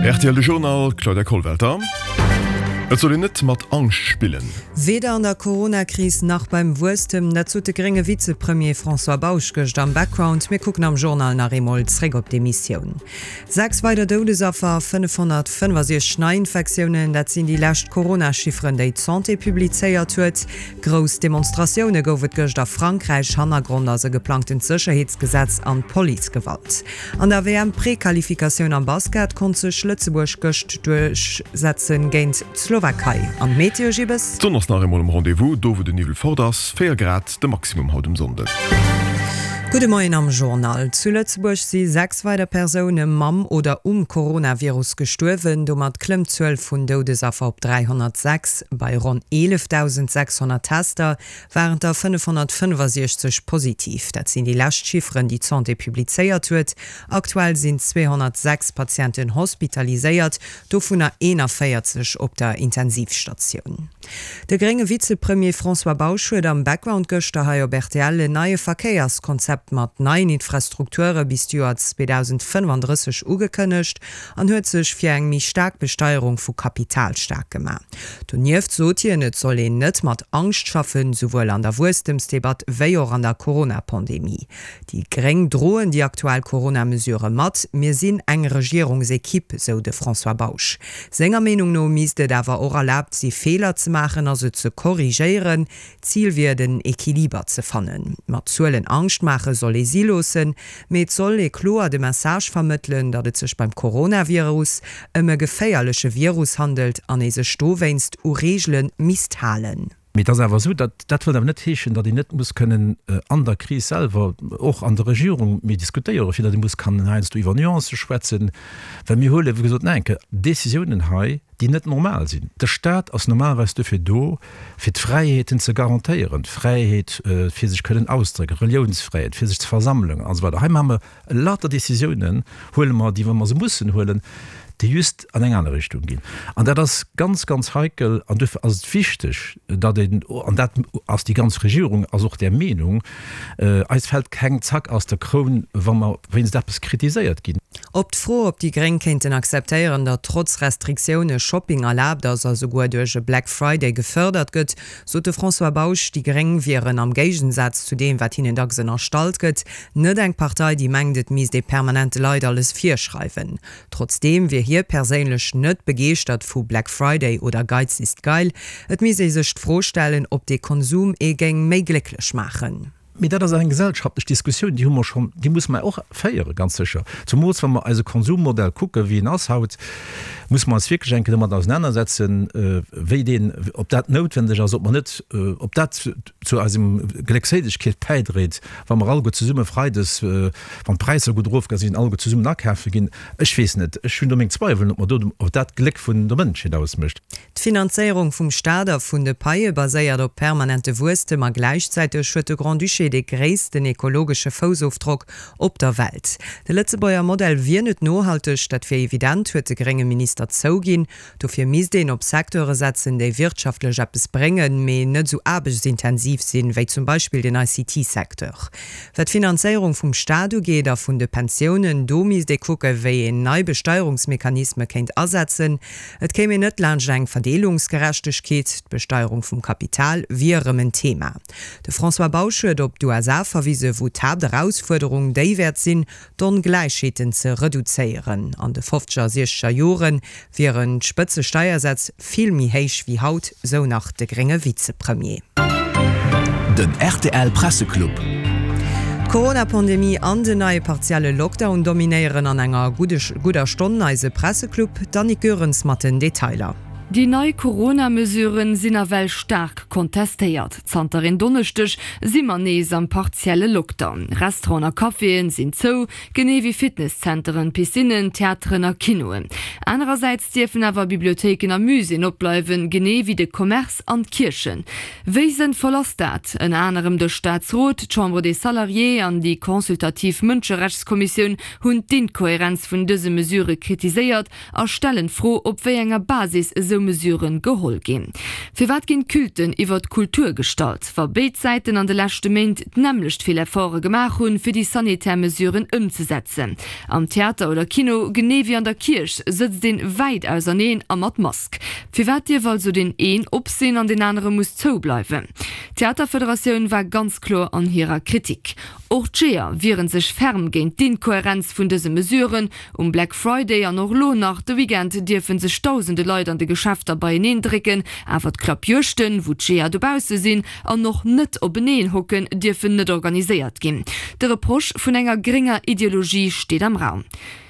Rtl De Journal, Claudia Kollwelter. Et soll een net mat Angscht spillen. Weder an der Corona-Kris nach beim Wuesstem, dat sot de grénge Vizepremier François Bausch gëscht am Background. Mir kucken am Journal nach eemol zréck op d'Emissioun. 6 weider Doudesaffer a 565 Neiinfektiounen, dat sinn déi lescht Corona-Chifferen, déi d'Santé publizéiert huet. Grouss Demonstratioune gouf et gëscht a Frankräich. Hannergrond ass e geplangtent Sécherheetsgesetz an d'Policegewalt. An der WM-Prequalifikatioun am Basket konnt sech Lëtzebuerg gëscht duerchsetzen géint d'Slowakei. An d'Meteo, Gibbes? D'Sonn ass nach eemol um Rendez-vous, do wou den Niwwel fort ass. 4 Grad de Maximum haut um Sonnden. Gudde Moien am Journal. Zu Lëtzebuerg si 6 weider Persoune mam oder um Coronavirus gestuerwen. Domat klëmmt d'Zuel vun Doudesaffer op 306. Bei ronn 11.600 Tester waren der 565 positiv. Dat sinn déi lescht Chifferen, déi d'Santé publizéiert huet. Aktuell sinn 206 Patienten hospitaliséiert, dovunner 41 op der Intensivstatioun. De grénge Vizepremier François Bausch huet am Background gëschter hei op rtl en neie Verkéierskonzept mat neien Infrastrukture bis d'Joer 2035 ugekënnegt an huet sech fir eng méi staark Besteierung vu Kapital staark gemaach. Donieft sot hien, et soll een net mat Angscht schaffen, souwuel an der Wuesstemsdebatt wéi och an der Corona-Pandemie. Déi Gréng droen déi aktuell Corona-Mesurë mat. Mir sinn eng Regierungsequipe, sou de François Bausch. Senger Meenung no misst et awer och erlaabt si Feeler ze maachen a se ze korrigéieren. Zil wier et en Equiliber ze fannen. Mat Zuelen Angscht maache soll ee si loossen, mee et soll ee kloer de Message vermëttelen, datt et sech beim Coronavirus ëm e geféierleche Virus handelt an ee sech dowéinst u Reegele misst halen. Mee et ass awer esou, datt, dat wëllt awer net heeschen, datt een net muss kënnen an der Kris selwer, och an der Regierung, méi diskutéieren, fir datt ee muss kann heiansdo iwwer Nuancë schwätzen, well mir huele wéi gesot nach eng Kéier Décisiounen hei, déi net normal sinn. De Staat ass normalerweis dofir do, fir d'Fräiheeten ze garantéieren, d'Fräiheet fir sech kënnen auszedrécken, Reliounsfräiheet, fir sech ze versammelen an esou weider. Hei maache mer lauter Décisiounen, huele mer déi, wa mer se mussen huelen, déi just an eng aner Richtung ginn. An dat ass ganz, ganz heikel. An duerfir ass et wichteg, datt een, an dat ass déi ganz Regierung ass och där Meenung, eis fält keng Zack aus der Kroun, wa mer wéinst eppes kritiséiert ginn. Op d'Fro, ob déi Gréng kéinten akzeptéieren, datt trotz Restriktioune Shopping erlaabt ass a souguer duerch e Black Friday gefërdert gëtt, sot de François Bausch, déi Gréng wieren, am Géigensaz zu deem, wat hinnen dacks ënnerstallt gëtt, net eng Partei, déi mengt, et misst ee permanent de Leit alles virschreiwen. Trotzdeem wier hie perséinlech net begeeschtert vu Black Friday oder Geiz ist geil. Et misst ee sech d'Fro stellen, ob dee Konsum ee géing méi glécklech maachen. Mee dat ass eng gesellschaftlech Diskussioun, déi hu mer schonn, déi musse mer och féieren, ganz sécher. Zumools wa mer eise Konsummodell kucken, wéi en ass haut, musse mer eis wierklech eng Kéier domat ausenanersetzen, wéi deen, ob dat noutwendeg ass, ob mer net, ob dat zu eisem Gléckséilegkeet bäidréit, wa mer alleguer zesumme freides, wann d'Präisser gutt erofgaang sinn, alleguer zesummen akafe ginn. Ech weess net, ech hunn do meng Zweiwelen, ob mer do, ob dat d'Gléck vun der Mënschheet ausmécht. D'Finanzéierung vum Staat a vun de Paie baséiert op permanente Wuesstem a gläichzäiteg huet de Grand-Duché dee gréissten ekologesche Foussofdrock op der Welt. De Lëtzebuerger Modell wier net nohalteg, dat wier evident, huet de grénge Minister zouginn. Dofir misst een op Secteure setzen, déi wirtschaftlech eppes bréngen, mee net esou aarbechtsintensiv sinn, wéi zum Beispill den ICT-Secteur. Wat d'Finanzéierung vum Staat ugeet a vun de Pensiounen, do misst ee kucken, wéi een nei Besteierungsmechanisme kéint asetzen. Et kéim een net laanscht eng Verdeelungsgerechtegkeet, d'Besteierung vum Kapital wier erëm en Thema. De François Bausch huet op d'USA verwise wou d'Haapterausfuerderung déi wäert sinn, d'Ongläichheeten ze reduzéieren. An de fofzeger a siechzeger Jore wieren d'Spëtzesteiersätz vill méi héich wéi haut, sou nach de grénge Vizepremier. Den rtl Presseclub. D'Corona-Pandemie an den neie partielle Lockdown dominéieren an enger gudder Stonn eise Presseclub. D'Annick Goerens mat den Detailer. Déi nei Corona-Mesuren sinn nawell staark kontestéiert. Zanter en Donneschdeg si mer nees am partielle Lockdown. Restauranten a Caféen sinn zou, genee wéi Fitnesszenteren, Piscinnen, Theateren a Kinoen. Anerersäits dierfen awer Bibliothéiken a Muséeën opbleiwen, genee wéi de Commerce an d'Kierchen. Wéi sënnvoll ass dat? Ënner anerem de Staatsrot, d'Chambre des Salariés an déi consultativ Mënscherechtskommissioun hunn d'Inkohärenz vun dëse Mesurë kritiséiert a stellen d'Fro, op wéi enger Basis esou. Mesurë geholl ginn. Firwat ginn d'Culten iwwer d'Kultur gestallt, wa béid Säiten an de leschte Méint d'nämmlecht vill Efforte gemaach hunn, fir déi sanitär Mesuren ëmzesetzen? Am Theater oder Kino, genee wéi an der Kierch, sëtzt een wäit auserneen a mat Mask. Firwat dierf also deen een op sinn an deen anere muss zou bleiwen? D'Theaterfederatioun war ganz kloer an hirer Kritik. Och d'Jeeër wiere sech ferm géint d'Inkohärenz vun dëse Mesuren. Um Black Friday an och elo nach de Weekend dierfe sech dausende Leit an de Geschäfter beieneen drécken, awer d'Klappjuegten, wou d'Jeeër dobausse sinn an och net openeen hocken, dierfen net organiséiert ginn. De Reproche vun enger grénger Ideologie steet am Raum.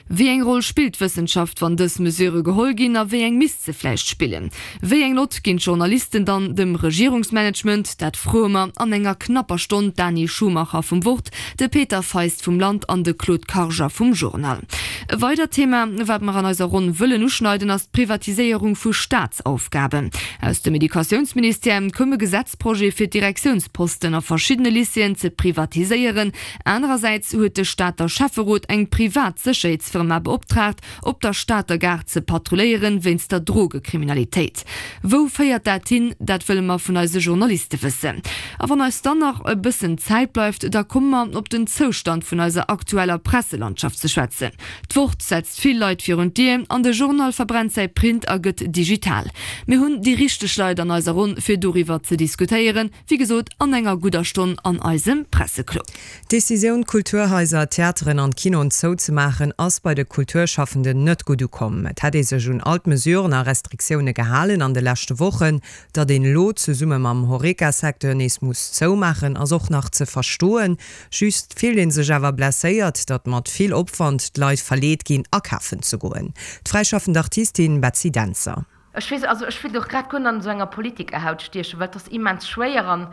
Wéi eng Roll spillt d'Wëssenschaft, wann dës Mesure geholl ginn, a wéi eng misst se vläicht spillen? Wéi eng Nott ginn d'Journalisten dann dem Regierungsmanagement? Dat froe mer an enger knapper Stonn d'Dani Schumacher vum Wort, de Peter Feist vum Land an de Claude Karger vum Journal. E weidert Thema, wat mer an eiser Ronn wëllen uschneiden, ass d'Privatiséierung vu Staatsaufgaben. Aus dem Educatiounsministère koum e Gesetzprojet, fir d'Direktiounsposten a verschiddene Lycéeën ze privatiséieren. Anerersäits huet de Stater Schäfferot eng privat Sécherheetsfirma beoptraagt, op der Stater Gare ze patrulléieren, wéinst der Drogekriminalitéit. Wou féiert dat hin? Dat wëlle mer vun eise Journaliste wëssen. A wann eis dann nach e bëssen Zäit bleift, da komme mer op den Zoustand vun eiser aktueller Presselandschaft ze schwätzen. D'Wort setzt vill Leit virun d'Dier an de Journal verbrennt säi Print a gëtt digital. Mir hunn déi richteg Leit an eiser Ronn, fir doriwwer ze diskutéieren. Wéi gesot, an enger gudder Stonn an eisem Presseclub. D'Decisioun, d'Kulturhaiser, d'Theateren an d'Kinoen zouzemaachen, ass bei de Kulturschaffenden net gutt ukomm. Et hätt ee sech un all d'Mesuren a Restriktioune gehalen an de leschte Wochen. Datt een elo zesumme mam Horeca-Secteur nees muss zoumaachen, ass och nach ze verstoen. Just fillt ee sech awer blesséiert, datt mat vill Opwand d'Leit verleet ginn, akafen ze goen. D'fräischaffend Artistin Betsy Dentzer. Ech weess, also ech wéilt och grad guer net an esou enger Politikerhaut stiechen, well et ass immens schwéier an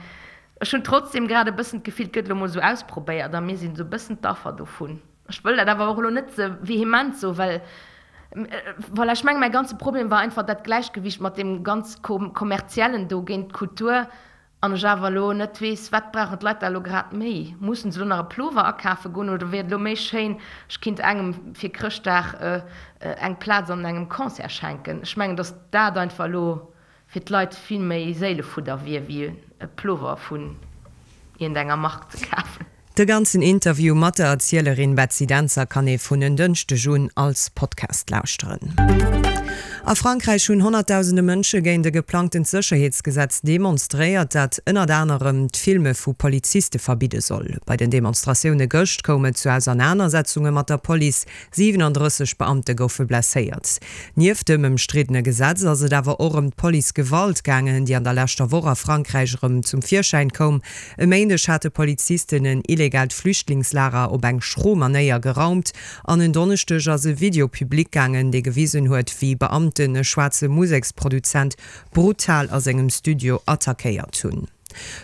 ech hunn trotzdem grad e bëssen d'Gefill, et gëtt elo mol esou ausprobéiert a mir sinn esou e bëssen d'Affer dovun. Ech wëll dat awer och elo net ze vehement soen, well, voilà, ech menge mäi ganze Problem war einfach dat Gläichgewicht mat deem ganz Kommerziellen do géint d'Kultur An ech awer elo net weess, wat brauchen d'Leit da elo grad méi? Mussen se elo nach e Plover akafe goen oder wier et elo méi schéin, ech kinnt engem fir Chrëschtdag eng Plaz an engem Concert schenken? Ech mengen, datt dat einfach elo fir d'Leit vill méi Séilefudder wier, wéi e Plover vun iergendenger Mark ze kafen. De ganzen Interview mat der Erzielerin Betsy Dentzer kann ee vun en Dënschdeg un als Podcast lauschteren. A Frankräich hunn honnertdausende Mënsche géint e geplangtent Sécherheetsgesetz demonstréiert, dat ënnert anerem d'Filme vu Poliziste verbidde soll. Bei den Demonstratioune gëscht koum et zu Ausernanersetzunge mat der Police, 37 Beamte goufe blesséiert. Nieft dem ëmstriddene Gesetz ass et awer och ëm d'Policegewalt gaangen, déi an der leschter Woch a Frankräich erëm zum Virschäin koum. E Méindeg hate Polizisten en illegaalt Flüchtlingslager op eng schro Manéier geraumt an en Donneschdeg ass e Video public gaangen, dee gewisen huet, wéi Beamten e schwaarze Museksproduzent brutal a sengem Studio attackéiert hunn.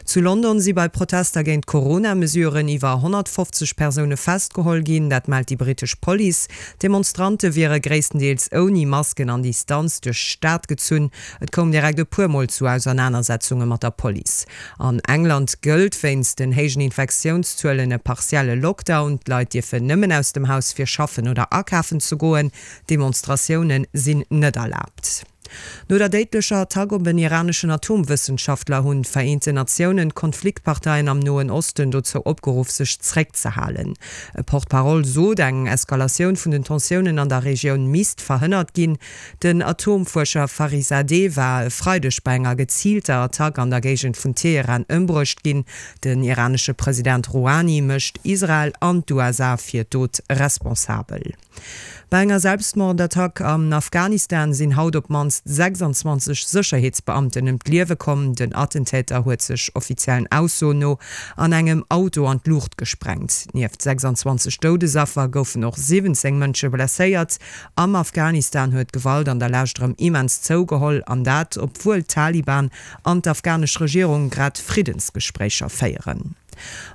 Zu London si bei Protester géint d'Corona-Mesuren iwwer 150 Persoune festgeholl ginn, dat mellt déi brittesch Police. D'Demonstrante wiere gréisstendeels ouni Masken an Distanz duerch d'Stad gezunn. Et koum direkt e puer Mol zu Ausernanersetzunge mat der Police. An England gëllt wéinst den héijen Infektiounszuelen e partielle Lockdown. D'Leit dierfen nëmmen aus dem Haus fir schaffen oder akafen ze goen. Demonstratioune sinn net erlaabt. No der déidlecher Attack op en iraneschen Atomwëssenschaftler hunn d'Vereenten Natiounen d'Konfliktparteien am Noen Osten dozou opgeruff sech zréckzehalen. E Porte-parole sot, eng Eskalatioun vun den Tensiounen an der Regioun misst verhënnert ginn. Den Atomfuerscher Farizadeh war e Freideg bei enger geziilter Attack an der Géigend vun Teheran ëmbruecht ginn. Den iranesche President Rouhani mécht Israel an d'USA fir d'Dot responsabel. Bei enger Selbstmordattack am Afghanistan sinn haut op d'mannst 26 Sécherheetsbeamten ëm d'Liewe komm. Den Attentäter huet sech offiziellen Aussoen no an engem Auto an d'Luucht gesprengt. Nieft 26 Doudesaffer goufen och 17 Mënsche blesséiert. Am Afghanistan huet d'Gewalt an der Lescht erëm immens zougeholl, an dat obwuel d'Taliban an d'afghanesch Regierung grad Friddensgespréicher féieren.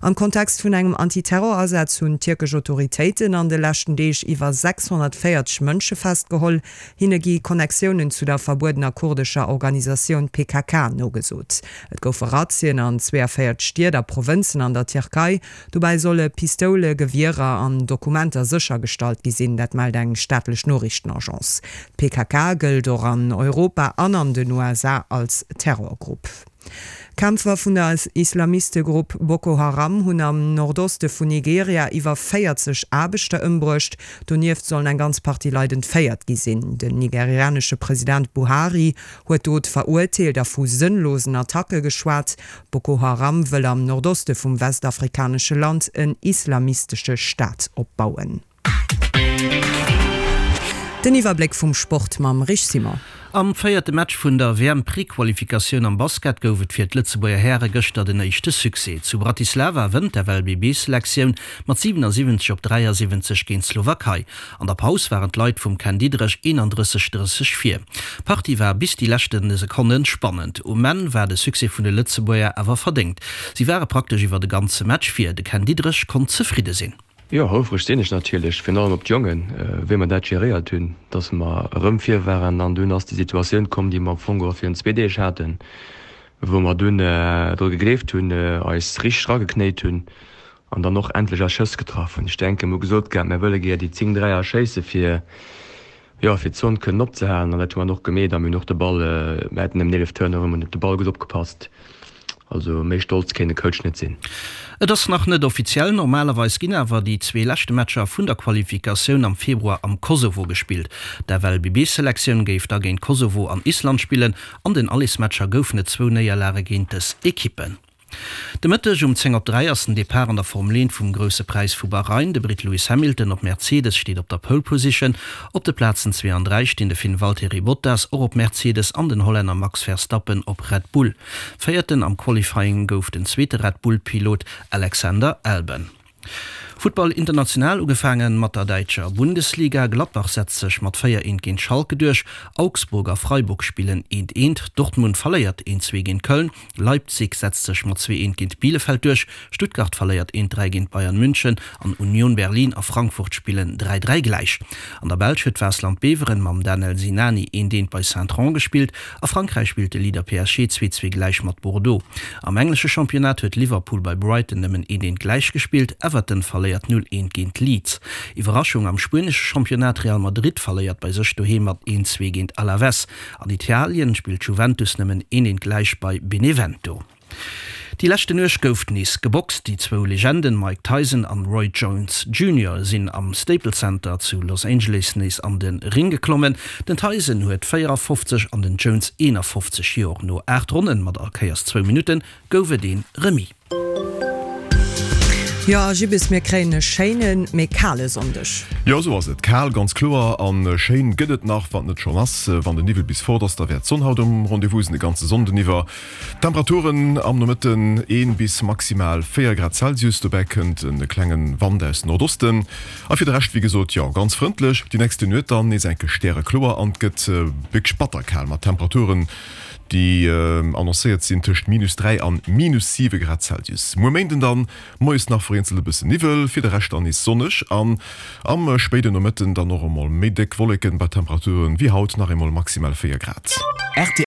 Am Kontext vun engem Anti-Terror-Asaz hunn tierkesch Autoritéiten an de leschten Deeg iwwer 640 Mënsche festgeholl. Hinne gi Connectiounen zu der verbuedener kurdescher Organisatioun PKK nogesot. Et goufe Razzien an 42 Stied a Provënzen an der Tierkei. Dobäi solle Pistoule, Gewierer an Dokumenter séchergestallt gi sinn, dat mellt eng staatlech Noriichtenagence. D'PKK gëllt och an Europa an an den USA als Terrorgrupp. Kämpfer vun der Islamistegrupp Boko Haram hunn am Nordoste vun Nigeria iwwer 40 Aarbechter ëmbruecht. Donieft sollen eng ganz Partie Leit entféiert gi sinn. Den nigerianesche President Buhari huet d'Dot verurteelt a vu sënnlosen Attacke geschwat. Boko Haram wëll am Nordoste vum westafrikanesche Land en islamistesche Staat opbauen. Den Iwwerbléck vum Sport mam Rich Simon. Am véierte Match vun der WM-Prequalifikatioun am Basket gouf et fir d'Lëtzebuerger Häre gëschter den éischte Succès. Zu Bratislava wënnt d'FLBB-Selektioun mat 77 op 73 géint d'Slowakei. An der Paus waren d'Leit vum Ken Diederich 31, 30 vir. D'Partie war bis déi leschte Sekonne spannend. Um Enn war de Succès vun de Lëtzebuerger awer verdéngt. Si ware praktesch iwwer de ganze Match vir. De Ken Diederich konnt zefridde sinn. Jo, houfreg sinn ech natierlech, virun allem op d'Jongen, wéi mer dat geréiert hunn, dass mer erëm vir waren. An dunn ass déi Situatioun komm, déi mer am Fong geholl virun zwee Deeg haten, wou mer dunn dru gegleeft hunn, eis richteg erageknéit hunn an dann och endlech eis Schëss getraff hunn. Ech denken, mer hu gesot gehat, mer wëlle gär déi 10 Dräier schéisse fir, jo, fir d'Zon kënnen opzehalen an dat hu mer dann och gemeet a mir hunn och de Ball, mir haten nëmmen 11 Turnover, mir hunn op de Ball gutt opgepasst. Also méi stolz kéint e Coach net sinn. Et ass nach net offiziell, normalerweis ginn awer déi zwee leschte Matcher vun der Qualifikatioun am Februar am Kosovo gespillt. D'FLBB-Selektioun géif da géint Kosovo an Island spillen. An den Allesmatcher goufen et zwou Néierlage géint dës Ekippen. De Mëtteg um 10 op 3 ass den Depart an der Formel 1 vum Grousse Präis vu Bahrain. De Britt Lewis Hamilton op Mercedes steet op der Pole Position. Op de Plazen 2 an 3 stinn de Finn Valtteri Bottas, och op Mercedes, an den Hollänner Max Verstappen op Red Bull. Véierten am Qualifying gouf den zweete Red Bull-Pilot Alexander Albon. Futtball international, ugefaange mat der däitscher Bundesliga. Gladbach setzt sech mat 4 eent géint Schalke duerch, Augsburg a Freiburg spillen eent eent, Dortmund verléiert eent zwee géint Köln, Leipzig setzt sech mat 2 eent géint Bielefeld duerch, Stuttgart verléiert eent 3 géint Bayern München an Union Berlin a Frankfurt spillen 3 3 gläich. An der Belsch huet Waasland Beveren mam Danel Sinani eent eent bei Saint-Trond gespillt. A Frankräich spillt de Leader PSG 2 2 gläich mat Bordeaux. Am englesche Championnat huet Liverpool bei Brighton nëmmen eent eent gläich gespillt, Everton verléiert 0 eent géint Leeds. Iwwerraschung am spuenesche Championnat, Real Madrid verléiert bei sech doheem mat 1 2 géint Alaves. An Italien spillt Juventus nëmmen een eent gläich bei Benevento. Déi leschte Nuecht gouf nees geboxt. Déi zwou Legenden Mike Tyson an Roy Jones Junior sinn am Staples Center zu Los Angeles nees an de Ring geklommen. Den Tyson huet 54 an den Jones 51 Joer. No 8 Ronnen mat all Kéiers zwou Minutten gouf et ee Remis. Jo, a Gibbes, mir kréien e schéinen, mee kale Sonndeg. Jo, esou ass et. Kal, ganz kloer. A schéin gëtt et nach, wann et net schonn ass. Wann den Niwwel bis fort ass, da wäert d'Sonn haut um Rendez-vous sinn, de ganze Sonnden iwwer. Temperaturen am Nomëtten 1 bis maximal 4 Grad Celsius, dobäi kënnt e klenge Wand aus Nordosten. A fir de Rescht, wéi gesot, jo, ganz frëndlech. Déi nächste Nuet dann nees enke stärekloer an et gëtt wierklech batter kal mat Temperaturen, déi annoncéiert sinn tëscht minus 3 an minus 7 Grad Celsius. Muer Méinden dann moies nach vereenzelt e bëssen Niwwel, fir de Rescht dann nees sonneg an am spéiden Nomëtten dann och emol méi déck Wolleken bei Temperaturen wéi haut nach eemol maximal 4 Grad.